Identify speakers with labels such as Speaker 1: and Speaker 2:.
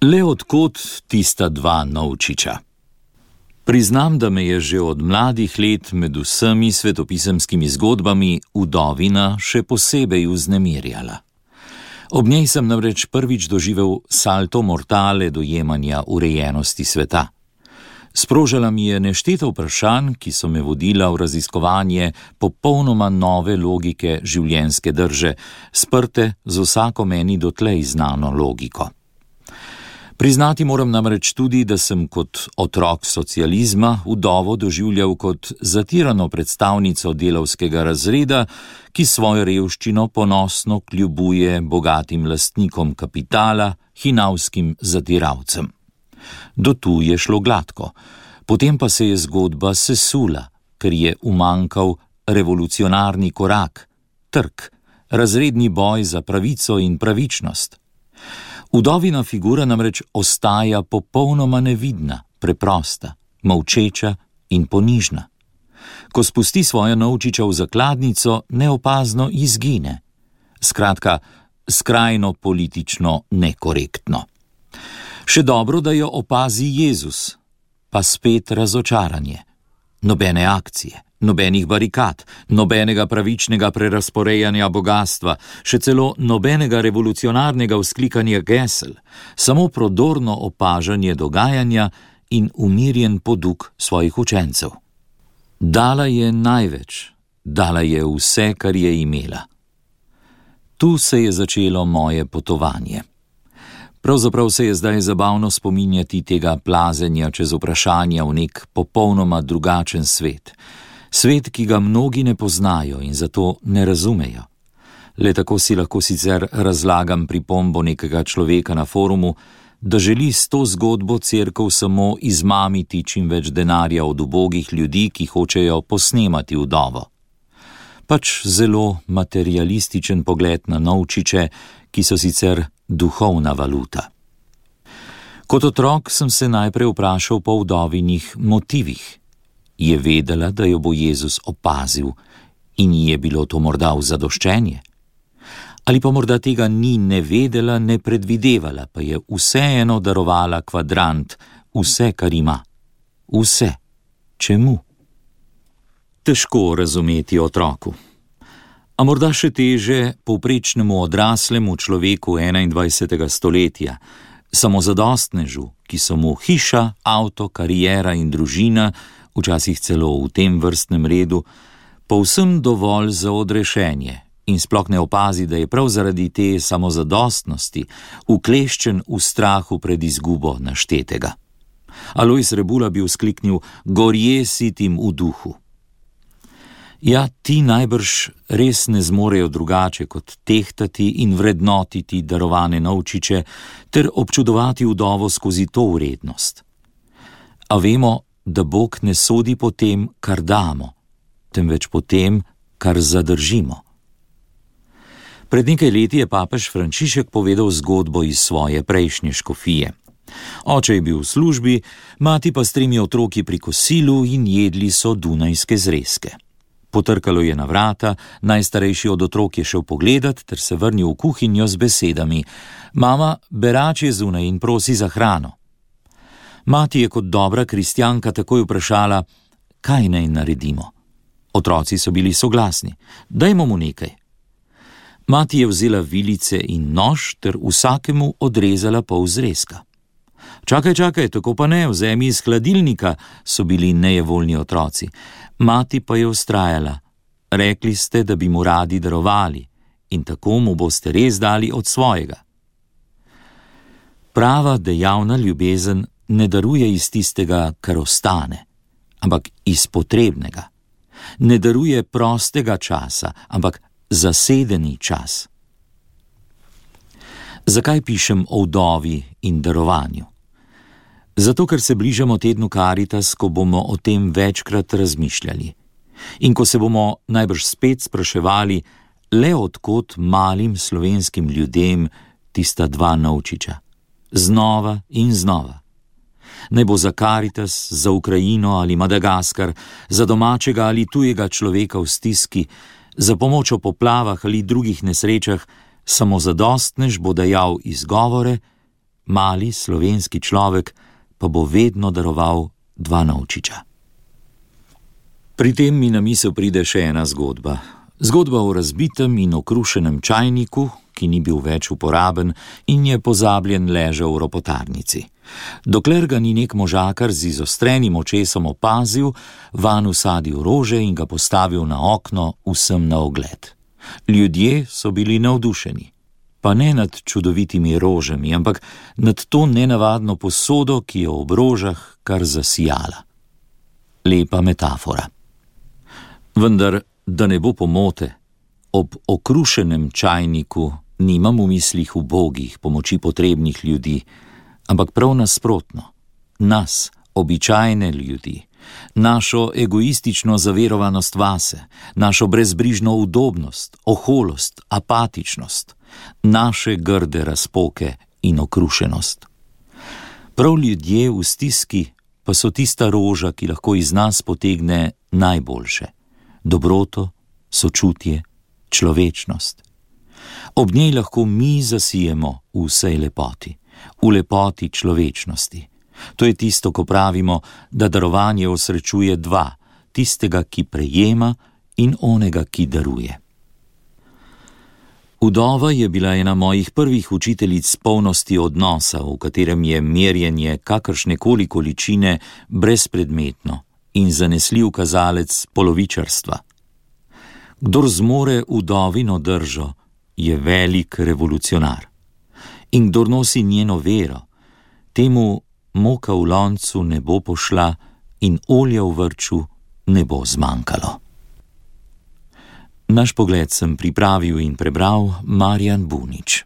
Speaker 1: Le odkot tista dva novčiča? Priznam, da me je že od mladih let med vsemi svetopisemskimi zgodbami vdovina še posebej vznemirjala. Ob njej sem namreč prvič doživel salto mortale dojemanja urejenosti sveta. Sprožala mi je nešteto vprašanj, ki so me vodila v raziskovanje popolnoma nove logike življenjske drže, sprte z vsako meni dotlej znano logiko. Priznati moram namreč tudi, da sem kot otrok socializma vdovo doživljal kot zatirano predstavnico delavskega razreda, ki svojo revščino ponosno kljubuje bogatim lastnikom kapitala, hinavskim zatiralcem. Do tu je šlo gladko, potem pa se je zgodba sesula, ker je umanjkal revolucionarni korak, trk, razredni boj za pravico in pravičnost. Vdovina figura namreč ostaja popolnoma nevidna, preprosta, molčeča in ponižna. Ko spusti svojo novčiča v zakladnico, neopazno izgine. Skratka, skrajno politično nekorektno. Še dobro, da jo opazi Jezus, pa spet razočaranje. Nobene akcije, nobenih barikad, nobenega pravičnega prerazporejanja bogastva, še celo nobenega revolucionarnega vzklikanja gesel, samo prodorno opažanje dogajanja in umirjen poduk svojih učencev. Dala je največ, dala je vse, kar je imela. Tu se je začelo moje potovanje. Pravzaprav se je zdaj zabavno spominjati tega plazenja čez vprašanja v nek popolnoma drugačen svet. Svet, ki ga mnogi ne poznajo in zato ne razumejo. Le tako si lahko sicer razlagam pripombo nekega človeka na forumu, da želi s to zgodbo cerkev samo izmamiti čim več denarja od ubogih ljudi, ki hočejo posnemati vdovo. Pač zelo materialističen pogled na novčiče, ki so sicer duhovna valuta. Kot otrok sem se najprej vprašal po vdovinih motivih. Je vedela, da jo bo Jezus opazil in ji je bilo to morda v zadoščenje? Ali pa morda tega ni ne vedela, ne predvidevala, pa je vseeno darovala kvadrant, vse, kar ima. Vse. Čemu? Težko razumeti otroku. A morda še teže povprečnemu odraslemu človeku 21. stoletja, samozadostnežu, ki so mu hiša, avto, kariera in družina, včasih celo v tem vrstnem redu, povsem dovolj za odrešenje in sploh ne opazi, da je prav zaradi te samozadostnosti ukleščen v strahu pred izgubo naštetega. Alojz Rebula bi vzkliknil: gorje sitim v duhu. Ja, ti najbrž res ne zmorejo drugače kot tehtati in vrednotiti darovane novčiče ter občudovati vdovo skozi to vrednost. A vemo, da Bog ne sodi po tem, kar damo, temveč po tem, kar zadržimo. Pred nekaj leti je papež Frančišek povedal zgodbo iz svoje prejšnje škofije. Oče je bil v službi, mati pa s 3 otroki pri kosilu in jedli so dunajske zrezke. Potrkalo je na vrata, najstarejši od otrok je šel pogledat ter se vrnil v kuhinjo z besedami: mama, berač je zunaj in prosi za hrano. Mati je kot dobra kristjanka takoj vprašala, kaj naj naredimo. Otroci so bili soglasni: dajmo mu nekaj. Mati je vzela vilice in nož ter vsakemu odrezala pol zrezka. Čakaj, tako pa ne, vzemi iz hladilnika, so bili nejevoljni otroci. Mati pa je vztrajala: rekli ste, da bi mu radi darovali in tako mu boste res dali od svojega. Prava dejavna ljubezen ne daruje iz tistega, kar ostane, ampak iz potrebnega. Ne daruje prostega časa, ampak zasedeni čas. Zakaj pišem o vdovi in darovanju? Zato, ker se bližamo tednu Karitas, ko bomo o tem večkrat razmišljali. In ko se bomo najbrž spet spraševali, le odkot malim slovenskim ljudem tista 2 novčiča. Znova in znova. Naj bo za Karitas, za Ukrajino ali Madagaskar, za domačega ali tujega človeka v stiski, za pomoč v poplavah ali drugih nesrečah, samozadostnež bo dajal izgovore, mali slovenski človek pa bo vedno daroval 2 novčiča. Pri tem mi na misel pride še ena zgodba. Zgodba o razbitem in okrušenem čajniku, ki ni bil več uporaben in je pozabljen ležal v ropotarnici. Dokler ga ni nek možakar z izostrenim očesom opazil, vanj vsadil rože in ga postavil na okno vsem na ogled. Ljudje so bili navdušeni. Pa ne nad čudovitimi rožami, ampak nad to nenavadno posodo, ki je ob rožah kar zasijala. Lepa metafora. Vendar, da ne bo pomote, ob okrušenem čajniku nimam v mislih ubogih, pomoči potrebnih ljudi, ampak prav nasprotno, nas, običajne ljudi, našo egoistično zaverovanost vase, našo brezbrižno udobnost, oholost, apatičnost, naše grde razpoke in okrušenost. Prav ljudje v stiski pa so tista roža, ki lahko iz nas potegne najboljše. Dobroto, sočutje, človečnost. Ob njej lahko mi zasijemo v vsej lepoti, v lepoti človečnosti. To je tisto, ko pravimo, da darovanje osrečuje 2, tistega, ki prejema in onega, ki daruje. Vdova je bila ena mojih prvih učiteljic polnosti odnosa, v katerem je merjenje kakršnekoli količine brezpredmetno in zanesljiv kazalec polovičarstva. Kdor zmore vdovino držo, je velik revolucionar. In kdor nosi njeno vero, temu moka v loncu ne bo pošla in olja v vrču ne bo zmanjkalo. Naš pogled sem pripravil in prebral Marjan Bunič.